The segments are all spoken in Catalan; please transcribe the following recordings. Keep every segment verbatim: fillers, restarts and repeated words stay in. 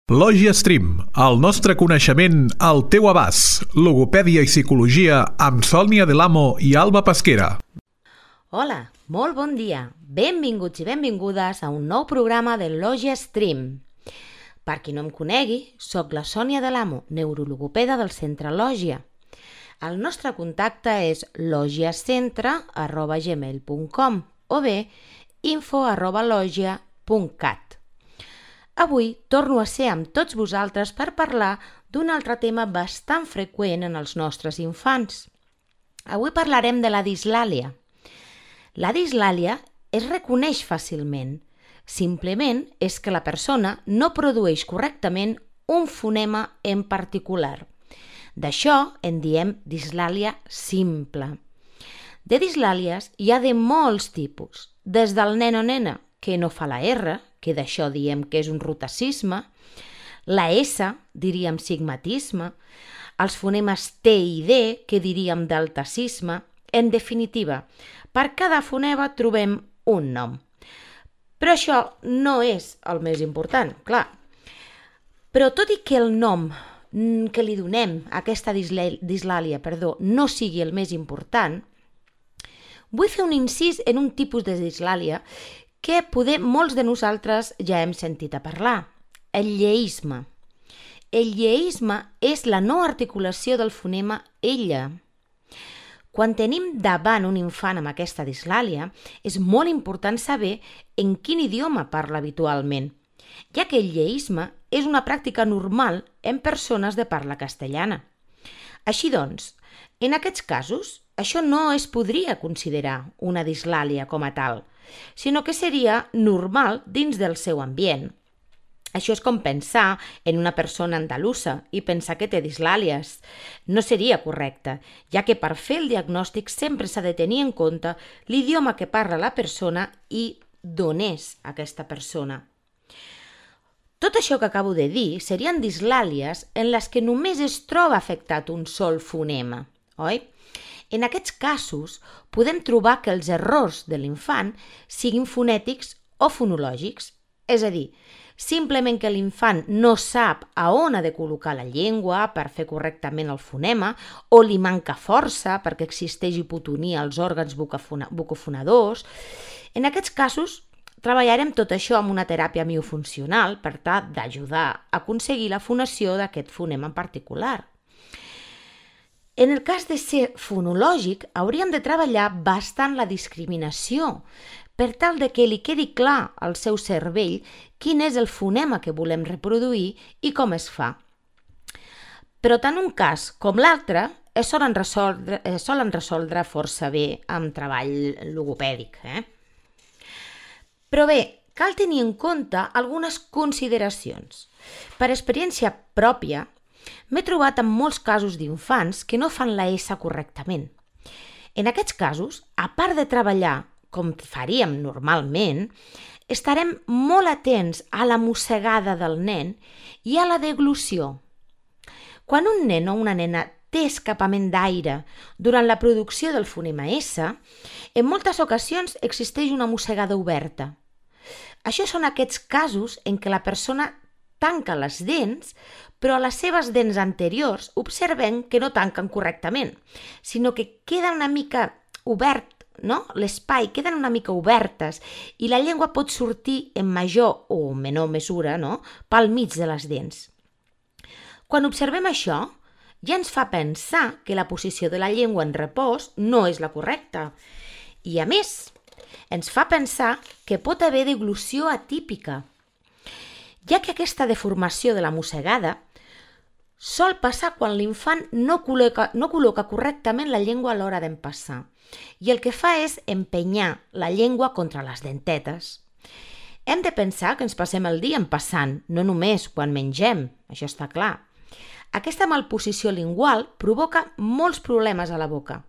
Lògia Stream, el nostre coneixement al teu abast. Logopèdia i psicologia amb Sònia Delamo i Alba Pesquera. Hola, molt bon dia. Benvinguts i benvingudes a un nou programa de Lògia Stream. Per qui no em conegui, sóc la Sònia Delamo, neurologopeda del Centre Lògia. El nostre contacte és logiacentre arroba gmail punt com o bé info arroba logia punt cat. Avui torno a ser amb tots vosaltres per parlar d'un altre tema bastant freqüent en els nostres infants. Avui parlarem de la dislàlia. La dislàlia es reconeix fàcilment. Simplement és que la persona no produeix correctament un fonema en particular. D'això en diem dislàlia simple. De dislàlies hi ha de molts tipus, des del nen o nena que no fa la R, que d'això diem que és un rotacisme, la S, diríem sigmatisme, els fonemes T i D, que diríem deltacisme. En definitiva, per cada fonema trobem un nom. Però això no és el més important, clar. Però tot i que el nom que li donem a aquesta dislàlia perdó, no sigui el més important, vull fer un incís en un tipus de dislàlia que poder molts de nosaltres ja hem sentit a parlar, el lleisme. El lleisme és la no articulació del fonema ella. Quan tenim davant un infant amb aquesta dislàlia, és molt important saber en quin idioma parla habitualment, ja que el lleisme és una pràctica normal en persones de parla castellana. Així doncs, en aquests casos, això no es podria considerar una dislàlia com a tal, sinó que seria normal dins del seu ambient. Això és com pensar en una persona andalusa i pensar que té dislàlies. No seria correcte, ja que per fer el diagnòstic sempre s'ha de tenir en compte l'idioma que parla la persona i d'on és aquesta persona. Tot això que acabo de dir serien dislàlies en les que només es troba afectat un sol fonema, oi? En aquests casos, podem trobar que els errors de l'infant siguin fonètics o fonològics, és a dir, simplement que l'infant no sap a on ha de col·locar la llengua per fer correctament el fonema o li manca força perquè existeix hipotonia als òrgans bucofonadors. En aquests casos, treballarem tot això amb una teràpia miofuncional per tal d'ajudar a aconseguir la fonació d'aquest fonema en particular. En el cas de ser fonològic, hauríem de treballar bastant la discriminació per tal de que li quedi clar al seu cervell quin és el fonema que volem reproduir i com es fa. Però tant un cas com l'altre es solen resoldre, es solen resoldre força bé amb treball logopèdic. Eh? Però bé, cal tenir en compte algunes consideracions. Per experiència pròpia, m'he trobat amb molts casos d'infants que no fan la S correctament. En aquests casos, a part de treballar com faríem normalment, estarem molt atents a la mossegada del nen i a la deglució. Quan un nen o una nena té escapament d'aire durant la producció del fonema S, en moltes ocasions existeix una mossegada oberta. Això són aquests casos en què la persona tanca les dents, però les seves dents anteriors observem que no tanquen correctament, sinó que queda una mica obert, no? L'espai queden una mica obertes i la llengua pot sortir en major o menor mesura, no? Pel mig de les dents. Quan observem això, ja ens fa pensar que la posició de la llengua en repòs no és la correcta. I a més, ens fa pensar que pot haver deglució atípica, ja que aquesta deformació de la mossegada sol passar quan l'infant no col·loca, no col·loca correctament la llengua a l'hora d'empassar i el que fa és empenyar la llengua contra les dentetes. Hem de pensar que ens passem el dia empassant, no només quan mengem, això està clar. Aquesta malposició lingual provoca molts problemes a la boca.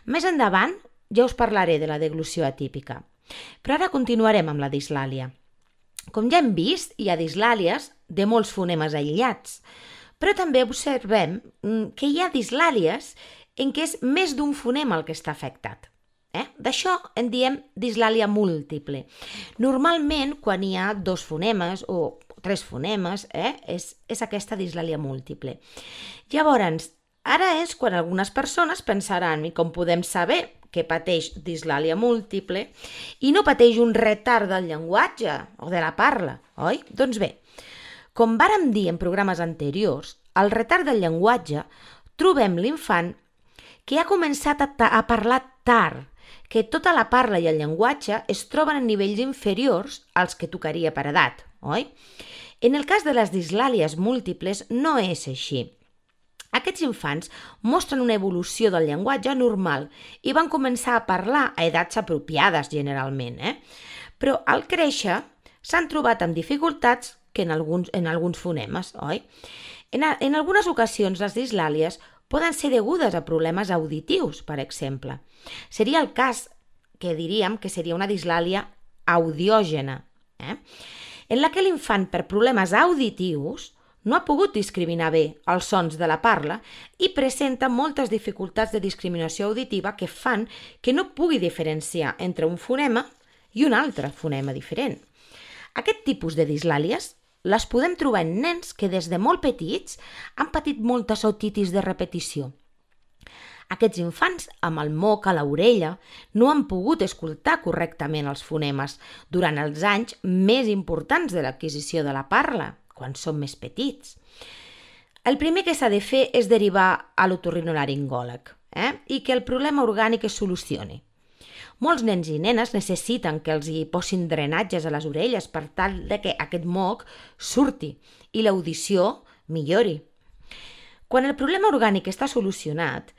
Més endavant ja us parlaré de la deglució atípica, però ara continuarem amb la dislàlia. Com ja hem vist, hi ha dislàlies de molts fonemes aïllats, però també observem que hi ha dislàlies en què és més d'un fonema el que està afectat. Eh? D'això en diem dislàlia múltiple. Normalment, quan hi ha dos fonemes o tres fonemes, eh? és, és aquesta dislàlia múltiple. Llavors, ara és quan algunes persones pensaran, i com podem saber que pateix dislàlia múltiple i no pateix un retard del llenguatge o de la parla, oi? Doncs bé, com vàrem dir en programes anteriors, al retard del llenguatge trobem l'infant que ha començat a, a parlar tard, que tota la parla i el llenguatge es troben en nivells inferiors als que tocaria per edat, oi? En el cas de les dislàlies múltiples no és així. Aquests infants mostren una evolució del llenguatge normal i van començar a parlar a edats apropiades generalment, eh? Però al créixer s'han trobat amb dificultats que en alguns, en alguns fonemes, oi? En, a, en algunes ocasions les dislàlies poden ser degudes a problemes auditius, per exemple. Seria el cas que diríem que seria una dislàlia audiògena, eh? en la que l'infant per problemes auditius no ha pogut discriminar bé els sons de la parla i presenta moltes dificultats de discriminació auditiva que fan que no pugui diferenciar entre un fonema i un altre fonema diferent. Aquest tipus de dislàlies les podem trobar en nens que des de molt petits han patit moltes otitis de repetició. Aquests infants, amb el moc a l'orella, no han pogut escoltar correctament els fonemes durant els anys més importants de l'adquisició de la parla, quan són més petits. El primer que s'ha de fer és derivar a l'otorrinolaringòleg, eh? i que el problema orgànic es solucioni. Molts nens i nenes necessiten que els hi posin drenatges a les orelles per tal de que aquest moc surti i l'audició millori. Quan el problema orgànic està solucionat,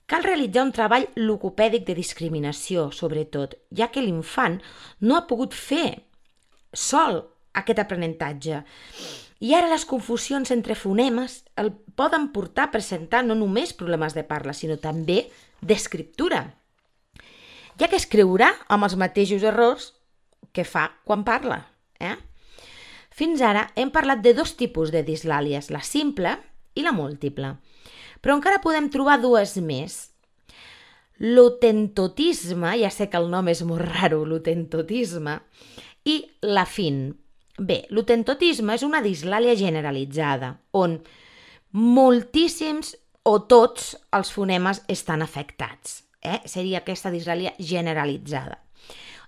cal realitzar un treball logopèdic de discriminació, sobretot, ja que l'infant no ha pogut fer sol aquest aprenentatge. I ara les confusions entre fonemes el poden portar a presentar no només problemes de parla, sinó també d'escriptura, ja que escriurà amb els mateixos errors que fa quan parla. Eh? Fins ara hem parlat de dos tipus de dislàlies, la simple i la múltiple, però encara podem trobar dues més. L'otentotisme, ja sé que el nom és molt raro, l'otentotisme, i l'afin. Bé, l'otentotisme és una dislàlia generalitzada, on moltíssims o tots els fonemes estan afectats. Eh? Seria aquesta dislàlia generalitzada.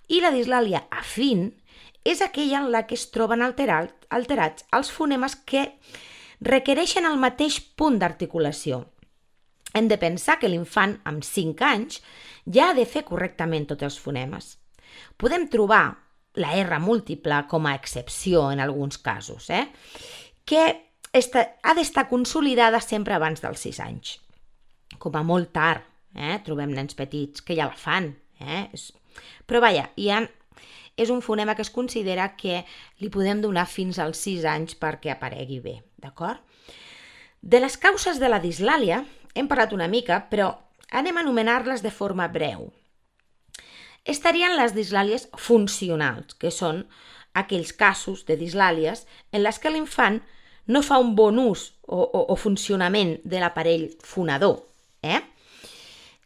I la dislàlia afin és aquella en la que es troben alterat, alterats els fonemes que requereixen el mateix punt d'articulació. Hem de pensar que l'infant amb cinc anys ja ha de fer correctament tots els fonemes. Podem trobar la R múltiple com a excepció en alguns casos, eh? que esta, ha d'estar consolidada sempre abans dels sis anys. Com a molt tard, eh? trobem nens petits que ja la fan. Eh? Però vaja, ha, és un fonema que es considera que li podem donar fins als sis anys perquè aparegui bé. D'acord? De les causes de la dislàlia hem parlat una mica, però anem a anomenar-les de forma breu. Estarien les dislàlies funcionals, que són aquells casos de dislàlies en les que l'infant no fa un bon ús o, o, o funcionament de l'aparell fonador. Eh?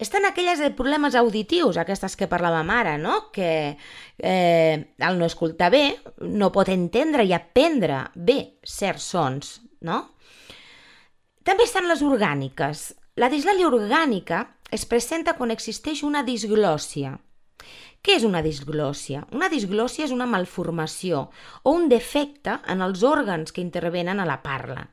Estan aquelles de problemes auditius, aquestes que parlàvem ara, no? que eh, al no escoltar bé no pot entendre i aprendre bé certs sons. No? També estan les orgàniques. La dislàlia orgànica es presenta quan existeix una disglòssia. Què és una disglòssia? Una disglòssia és una malformació o un defecte en els òrgans que intervenen a la parla,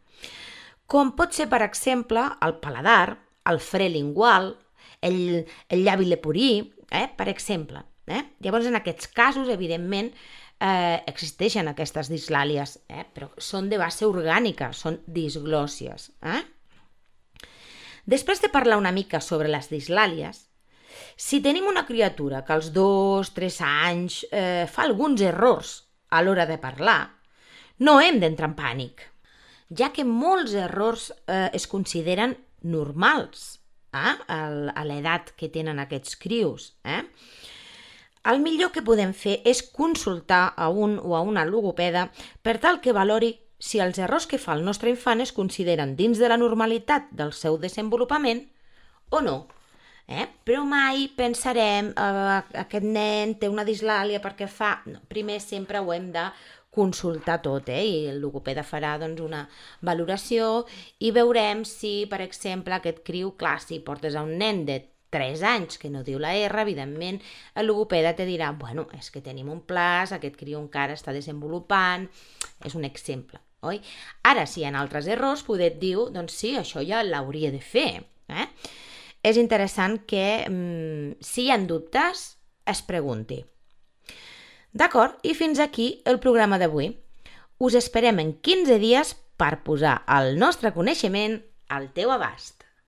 com pot ser, per exemple, el paladar, el fre lingual, el, el llavi leporí, eh? per exemple. Eh? Llavors, en aquests casos, evidentment, eh, existeixen aquestes dislàlies, eh? però són de base orgànica, són disglòssies. Eh? Després de parlar una mica sobre les dislàlies, si tenim una criatura que als dos, tres anys eh, fa alguns errors a l'hora de parlar, no hem d'entrar en pànic, ja que molts errors eh, es consideren normals eh, a l'edat que tenen aquests crios. Eh? El millor que podem fer és consultar a un o a una logopeda per tal que valori si els errors que fa el nostre infant es consideren dins de la normalitat del seu desenvolupament o no. Eh? Però mai pensarem eh, aquest nen té una dislàlia perquè fa... No, primer sempre ho hem de consultar tot, eh? I el logopeda farà doncs, una valoració i veurem si, per exemple, aquest criu, clar, si portes a un nen de tres anys que no diu la R, evidentment, el logopeda te dirà, bueno, és que tenim un plaç, aquest criu encara està desenvolupant, és un exemple, oi? Ara, si hi ha altres errors, poder et diu, doncs sí, això ja l'hauria de fer, eh? És interessant que, mm, si hi ha dubtes, es pregunti. D'acord? I fins aquí el programa d'avui. Us esperem en quinze dies per posar el nostre coneixement al teu abast.